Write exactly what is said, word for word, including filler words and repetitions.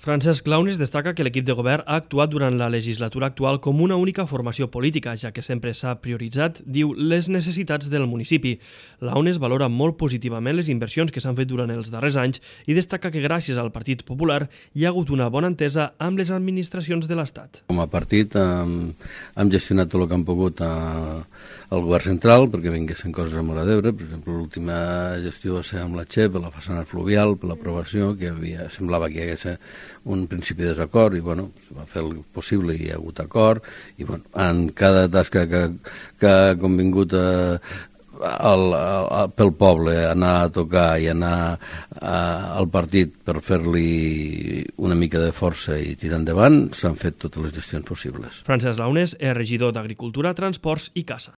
Francesc Launes destaca que l'equip de govern ha actuat durant la legislatura actual com una única formació política, ja que sempre s'ha prioritzat, diu, les necessitats del municipi. Launes valora molt positivament les inversions que s'han fet durant els darrers anys i destaca que gràcies al Partit Popular hi ha hagut una bona entesa amb les administracions de l'Estat. Com a partit hem, hem gestionat tot el que hem pogut a, al govern central perquè vinguessin coses a Móra d'Ebre. Per exemple, l'última gestió va ser amb la Che, per la façana fluvial, per l'aprovació, que havia, semblava que hi hagués un principi de desacord i bueno, es va fer el possible i hi ha hagut acord i bueno, en cada tasca que, que ha convingut a, al, al, pel poble anar a tocar i anar a, al partit per fer-li una mica de força i tirar endavant, s'han fet totes les gestions possibles. Francesc Launes és regidor d'Agricultura, Transports i Caça.